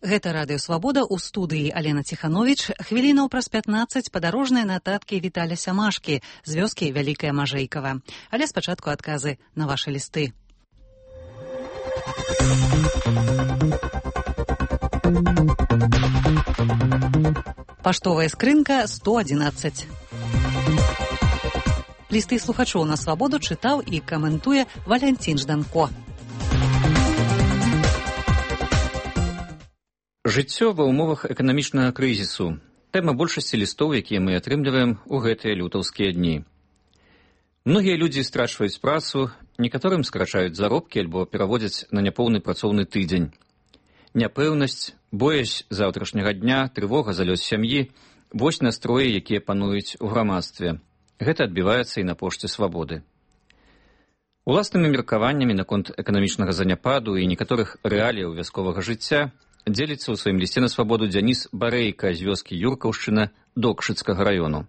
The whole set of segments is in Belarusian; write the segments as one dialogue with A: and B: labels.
A: Гэта Радыё Свабода, у студыі Алена Ціхановіч. Хвілінаў праз 15 падарожныя нататкі Віталя Сямашкі з вёскі Вялікая Мажэйкава. Але спачатку адказы на вашы лісты. Паштовая скрынка 111. Лісты слухачоў на Свабоду чытаў і каментуе Валянцін Жданко.
B: Жыццё ва ўмовах эканамічнага крызісу. Тэма большасці лістоў, якія мы атрымліваем у гэтыя лютаўскія дні. Многія людзі страчваюць працу, некаторым скрачаюць заробкі альбо пераводзяць на няпоўны працоўны тыдзень. Няпэўнасць, боязь заўтрашняга дня, трывога за лёс сям'і – вось настроі, якія пануюць у грамадстве. Гэта адбіваецца і на пошце Свабоды. Уласнымі меркаваннямі наконт эканамічнага заняпаду і некаторых рэаліяў вясковага жыцця дзеліцца ў сваім лісце на Свабоду Дзяніс Барэйка з вёскі Юркаўшчына Докшыцкага раёну.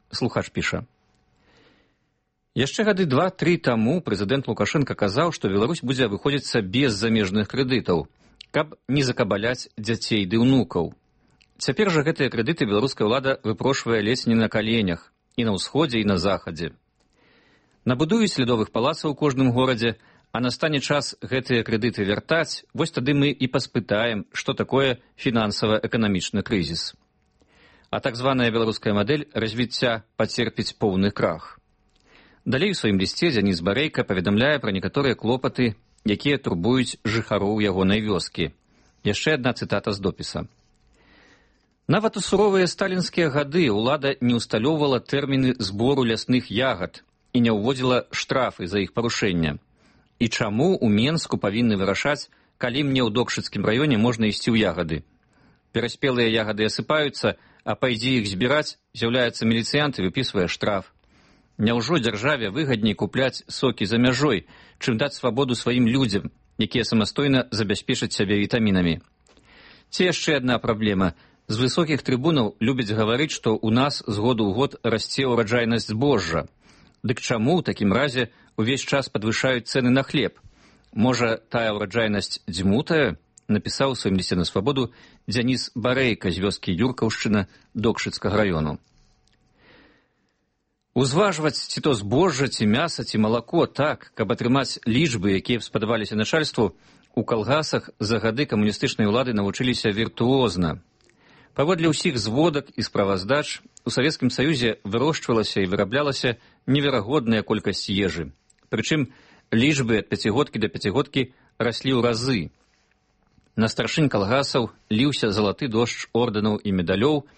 B: Слухач піша. Яшчэ гады 2-3 таму прэзідэнт Лукашенка казаў, што Беларусь будзе выходзіцца без замежных крэдытаў, каб не закабаляць дзяцей ды ўнукаў. Цяпер жа гэтыя крэдыты беларуская ўлада выпрошвае ледзь не на каленях і на ўсходзе, і на захадзе. Набудуюць ледовых палацаў у кожным горадзе, а настане час гэтыя крэдыты вяртаць, вось тады мы і паспытаем, што такое фінансава-эканамічны крызіс. А так званая беларуская мадэль развіцця пацерпіць поўны крах. Далей у сваім лісце Дзяніс Барэйка паведамляе пра некаторыя клопаты, якія турбуюць жыхароў ягонай вёскі. Яшчэ адна цытата з допіса. Нават у суровыя сталінскія гады ўлада не ўсталёўвала тэрміны збору лясных ягад і не ўводзіла штрафы за іх парушэння. І чаму ў Менску павінны вырашаць, калі мне ў Докшыцкім раёне можна ісці ў ягады? Пераспелыя ягады асыпаюцца, а пайдзі іх збіраць, з'яўляецца міліцыянт і выпісвае штраф. Няўжо дзяржаве выгадней купляць сокі за мяжой, чым даць свабоду сваім людзям, якія самастойна забяспечаць сябе вітамінамі? Ці яшчэ адна праблема. З высокіх трыбунаў любяць гаварыць, што ў нас з году ў год расце ўраджайнасць збожжа. Дык чаму ў такім разе увесь час падвышаюць цэны на хлеб? Можа, тая ўраджайнасць дзьмутая? Напісаў у сваім лісце на Свабоду Дзяніс Барэйка з вёскі Юркаўшчына Докшыцкага раёну. Узважваць ці то збожжа, ці мяса, ці малако так, каб атрымаць лічбы, якія б спадабаліся начальству, у калгасах за гады камуністычнай улады навучыліся віртуозна. Паводле ўсіх зводак і справаздач, у Савецкім Саюзе вырошчвалася і выраблялася неверагодная колькасць ежы. Прычым лічбы ад пяцігодкі да пяцігодкі раслі ў разы. На старшынь калгасаў ліўся залаты дождж ордэнаў і медалёў,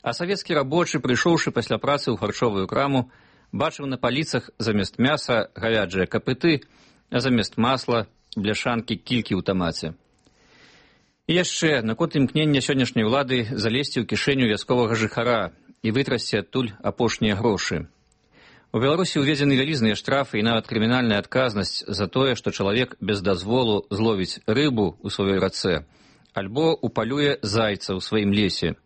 B: а савецкі рабочы, прыйшоўшы пасля працы ў харчовую краму, бачыў на паліцах замест мяса гавяджыя капыты, а замест масла бляшанкі кількі ў тамаце. І яшчэ наконт імкнення сённяшняй улады залезці ў кішэню вясковага жыхара і вытрасці адтуль апошнія грошы. У Беларусі ўведзены вялізныя штрафы і нават крымінальная адказнасць за тое, што чалавек без дазволу зловіць рыбу ў сваёй рацэ альбо упалюе зайца ў сваім лесе.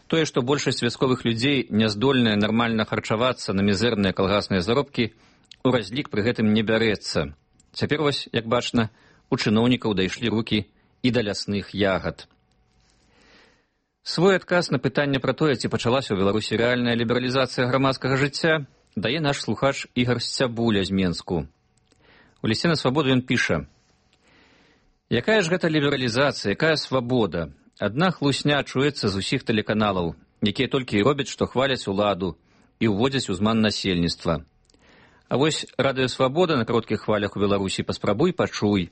B: Тое, што большасць вясковых людзей няздольная нармальна харчавацца на мізэрныя калгасныя заробкі, у разлік пры гэтым не бярэцца. Цяпер вось, як бачна, у чыноўнікаў дайшлі рукі і да лясных ягад. Свой адказ на пытанне пра тое, ці пачалася ў Беларусі рэальная лібералізацыя грамадскага жыцця, дае наш слухач Ігар Сцябуля з Менску. У лісце на Свабоду ён піша. Якая ж гэта лібералізацыя, якая свабода? Адна хлусня чуецца з усіх тэлеканалаў, якія толькі і робяць, што хваляць уладу і ўводзяць у зман насельніцтва. А вось Радыё Свабода на кароткіх хвалях у Беларусі паспрабуй пачуй.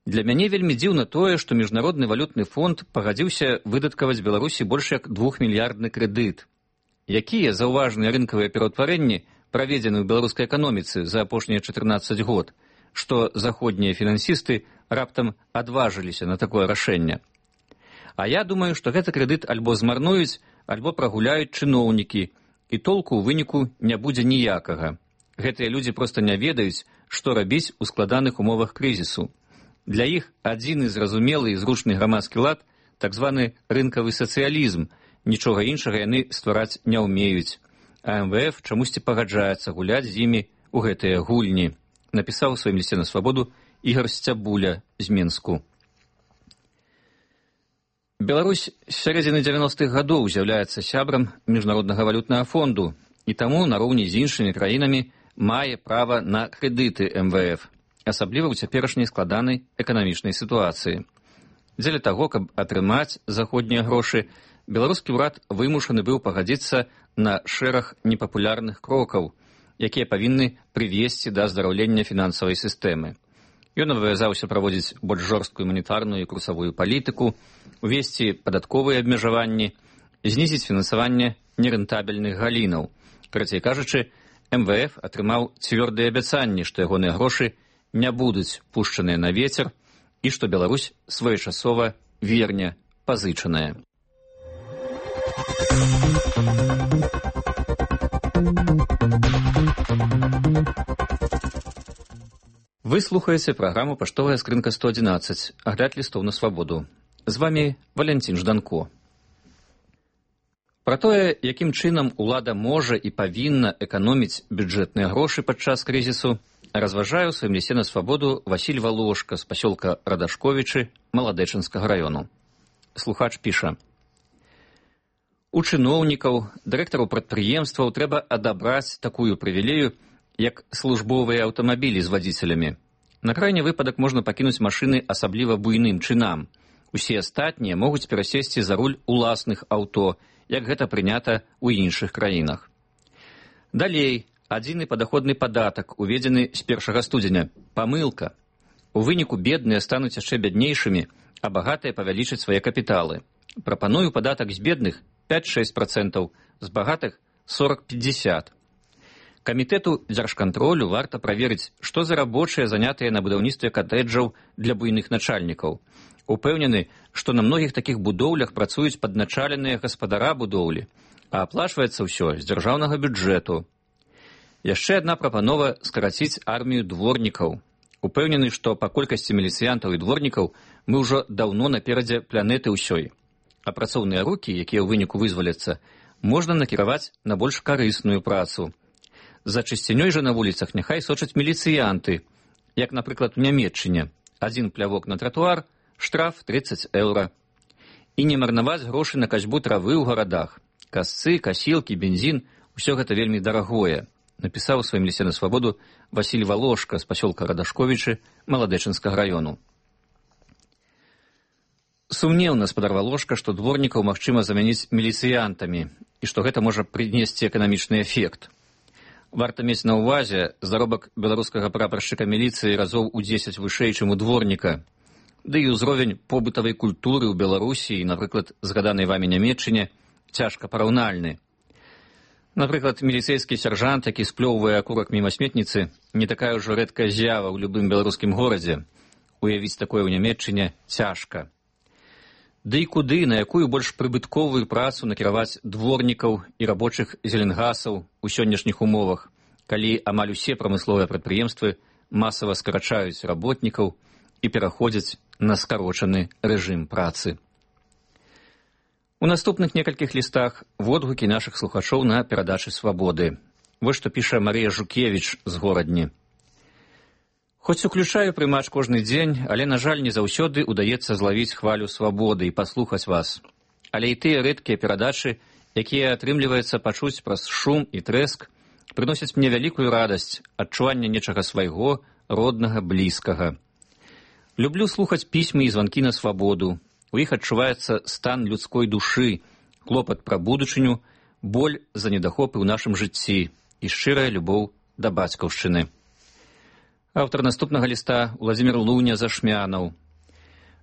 B: Для мяне вельмі дзіўна тое, што Міжнародны валютны фонд пагадзіўся выдаткаваць Беларусі больш як 2-мільярдны крэдыт. Якія заўважныя рынкавыя пераўтварэнні праведзены ў беларускай эканоміцы за апошнія 14 год, што заходнія фінансісты раптам адважыліся на такое рашэнне? А я думаю, што гэты крэдыт альбо змарнуюць, альбо прагуляюць чыноўнікі, і толку ў выніку не будзе ніякага. Гэтыя людзі проста не ведаюць, што рабіць у складаных умовах крызісу. Для іх адзіны зразумелы і зручны грамадскі лад, так званы рынкавы сацыялізм, нічога іншага яны ствараць не ўмеюць. А МВФ чамусьці пагаджаецца гуляць з імі ў гэтыя гульні, напісаў у сваім лісце на Свабоду Ігар Сцябуля з Менску. Беларусь з сярэдзіны 90-х гадоў з'яўляецца сябрам Міжнароднага валютнага фонду і таму нароўні з іншымі краінамі мае права на крэдыты МВФ, асабліва ў цяперашняй складанай эканамічнай сітуацыі. Дзеля таго, каб атрымаць заходнія грошы, беларускі ўрад вымушаны быў пагадзіцца на шэраг непапулярных крокаў, якія павінны прывесці да аздараўлення фінансавай сістэмы. Ён абавязаўся праводзіць больш жорсткую манетарную і курсавую палітыку, увесці падатковыя абмежаванні, знізіць фінансаванне нерэнтабельных галінаў. Карацей кажучы, МВФ атрымаў цвёрдыя абяцанні, што ягоныя грошы не будуць пушчаныя на вецер і што Беларусь своечасова верне пазычаная. Вы слухаеце праграму «Паштовая скрынка 111», агляд лістоў на свабоду. З вамі Валянцін Жданко. Пра тое, якім чынам улада можа і павінна эканоміць бюджэтныя грошы падчас крызісу, разважае ў сваім лісце на свабоду Васіль Валошка з пасёлка Радашковічы Маладэчынскага раёну. Слухач піша: у чыноўнікаў, дырэктараў прадпрыемстваў трэба адабраць такую прывілею, як службовыя аўтамабілі з вадзіцелямі. На крайні выпадак можна пакінуць машыны асабліва буйным чынам. Усе астатнія могуць перасесці за руль уласных аўто, як гэта прынята ў іншых краінах. Далей, адзіны падаходны падатак, уведзены з 1 студзеня. Памылка. У выніку бедныя стануць яшчэ бяднейшымі, а багатыя павялічаць свае капіталы. Прапаную падатак з бедных 5-6%, з багатых 40-50%. Камітэту дзяржкантролю варта праверыць, што за рабочыя занятыя на будаўніцтве катэджаў для буйных начальнікаў. Упэўнены, што на многіх такіх будоўлях працуюць падначаленыя гаспадара будоўлі, а аплачваецца ўсё з дзяржаўнага бюджэту. Яшчэ адна прапанова скараціць армію дворнікаў. Упэўнены, што па колькасці міліцыянтаў і дворнікаў мы ўжо даўно наперадзе планеты ўсёй. А працоўныя рукі, якія ў выніку вызваляцца, можна накіраваць на больш карысную працу. За чысцінёй жа на вуліцах няхай сочаць міліцыянты, як, напрыклад, у Нямецчыне. Адзін плявок на тратуар, штраф 30 еўра. І не марнаваць грошы на касьбу травы ў гарадах. Касцы, касілкі, бензін – усё гэта вельмі дарагое, напісаў у сваім лісце на свабоду Васіль Валошка з пасёлка Радашковічы Маладэчынскага раёну. Сумнеўна спадар Валошка, што дворнікаў магчыма замяніць міліцыянтамі і што гэта можа прынесці эканамічны эфект. Варта мець на ўвазе, заробак беларускага прапаршчыка міліцыі разоў у 10 вышэй, чым у дворніка. Ды і ўзровень побытавай культуры ў Беларусі і, напрыклад, згаданай вамі Нямецчыне, цяжка параўнальны. Напрыклад, міліцэйскі сяржант, які сплёўвае акурак міма сметніцы, не такая ўжо рэдкая з'ява ў любым беларускім горадзе. Уявіць такое ў Нямецчыне цяжка. Ды і куды, на якую больш прыбытковую працу накіраваць дворнікаў і рабочых зеленгасаў у сённяшніх умовах, калі амаль усе прамысловыя прадпрыемствы масава скарачаюць работнікаў і пераходзяць на скарочаны рэжым працы. У наступных некалькіх лістах водгукі нашых слухачоў на перадачы свабоды. Вось што піша Марыя Жукевіч з Горадні. Хоць уключаю прымач кожны дзень, але, на жаль, не заўсёды ўдаецца злавіць хвалю свабоды і паслухаць вас. Але і тыя рэдкія перадачы, якія атрымліваецца пачуць праз шум і трэск, прыносяць мне вялікую радасць, адчуванне нечага свайго, роднага, блізкага. Люблю слухаць пісьмы і званкі на свабоду. У іх адчуваецца стан людской душы, клопат пра будучыню, боль за недахопы ў нашым жыцці і шчырая любоў да бацькаўшчыны. Аўтар наступнага ліста Владзімір Луня Зашмянаў.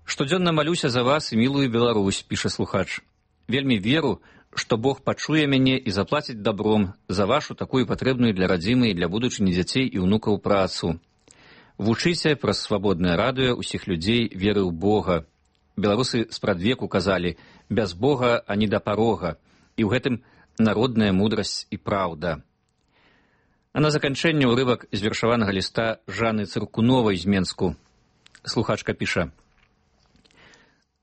B: Штодзённа малюся за вас і мілую Беларусь, піша слухач. Вельмі веру, што Бог пачуе мяне і заплаціць дабром за вашу такую патрэбную для радзімы і для будучыні дзяцей і ўнукаў працу. Вучыце праз свабоднае радыё ўсіх людзей веры ў Бога. Беларусы спрадвеку казалі: без Бога ані да парога, і ў гэтым народная мудрасць і праўда. А на заканчэнне ўрывак з вершаванага ліста Жанны Цыркуновай з Менску. Слухачка піша: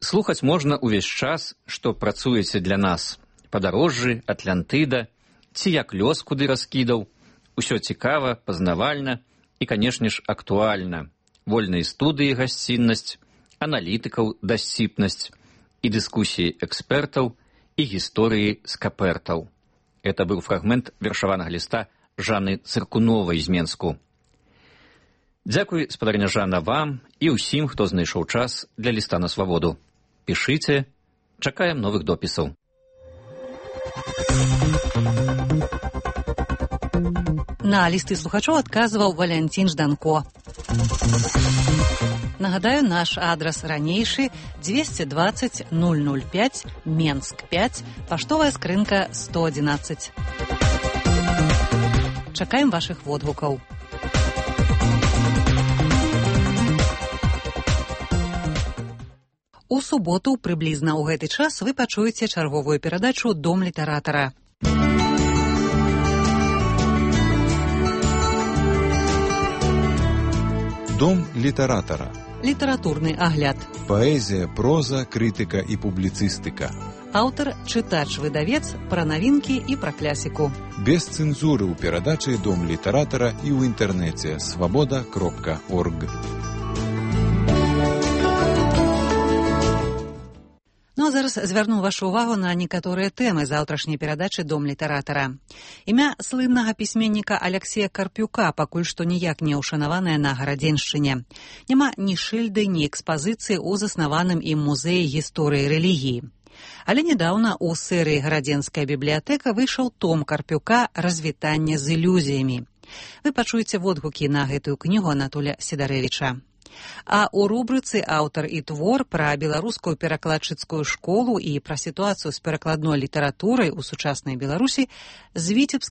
B: слухаць можна ўвесь час, што працуеце для нас. Падарожжы, Атлантыда, ці як лёс куды раскідаў. Усё цікава, пазнавальна і, канешне ж, актуальна. Вольныя студыі гасціннасць, аналітыкаў дасціпнасць, і дыскусіі экспертаў, і гісторыі скапертаў. Это быў фрагмент вершаванага ліста Жанны Цыркуновай з Менску. Дзякуй, спадарня Жанна, вам і ўсім, хто знайшоў час для ліста на свабоду. Пішыце, чакаем новых допісаў.
A: На лісты слухачоў адказваў Валянцін Жданко. Нагадаю, наш адрас ранейшы 220 005 Менск 5, паштовая скрынка 111. Чакаем вашых водгукаў. У суботу, прыблізна ў гэты час, вы пачуеце чарговую перадачу «Дом літаратара».
C: Дом літаратара.
A: Літаратурны агляд.
C: Паэзія, проза, крытыка і публіцыстыка.
A: Аўтар, чытач-выдавец, пра навінкі і пра клясіку.
C: Без цэнзуры ў перадачы «Дом літаратара» і ў інтэрнэце свабода.орг.
A: Ну а зараз звярну вашу ўвагу на некаторыя тэмы заўтрашняй перадачы «Дом літаратара». Імя слыннага пісьменніка Аляксея Карпюка пакуль што ніяк не ўшанаванае на Гарадзеншчыне. Няма ні шыльды, ні экспазіцыі ў заснаваным ім музеі гісторыі рэлігіі. Але нядаўна ў серыі «Гарадзенская бібліятэка» выйшаў том Карпюка «Развітанне з ілюзіямі». Вы пачуеце водгукі на гэтую кнігу Анатоля Сідарэвіча. А ў рубрыцы «Аўтар і твор» пра беларускую перакладчыцкую школу і пра сітуацыю з перакладной літаратурай у сучаснай Беларусі з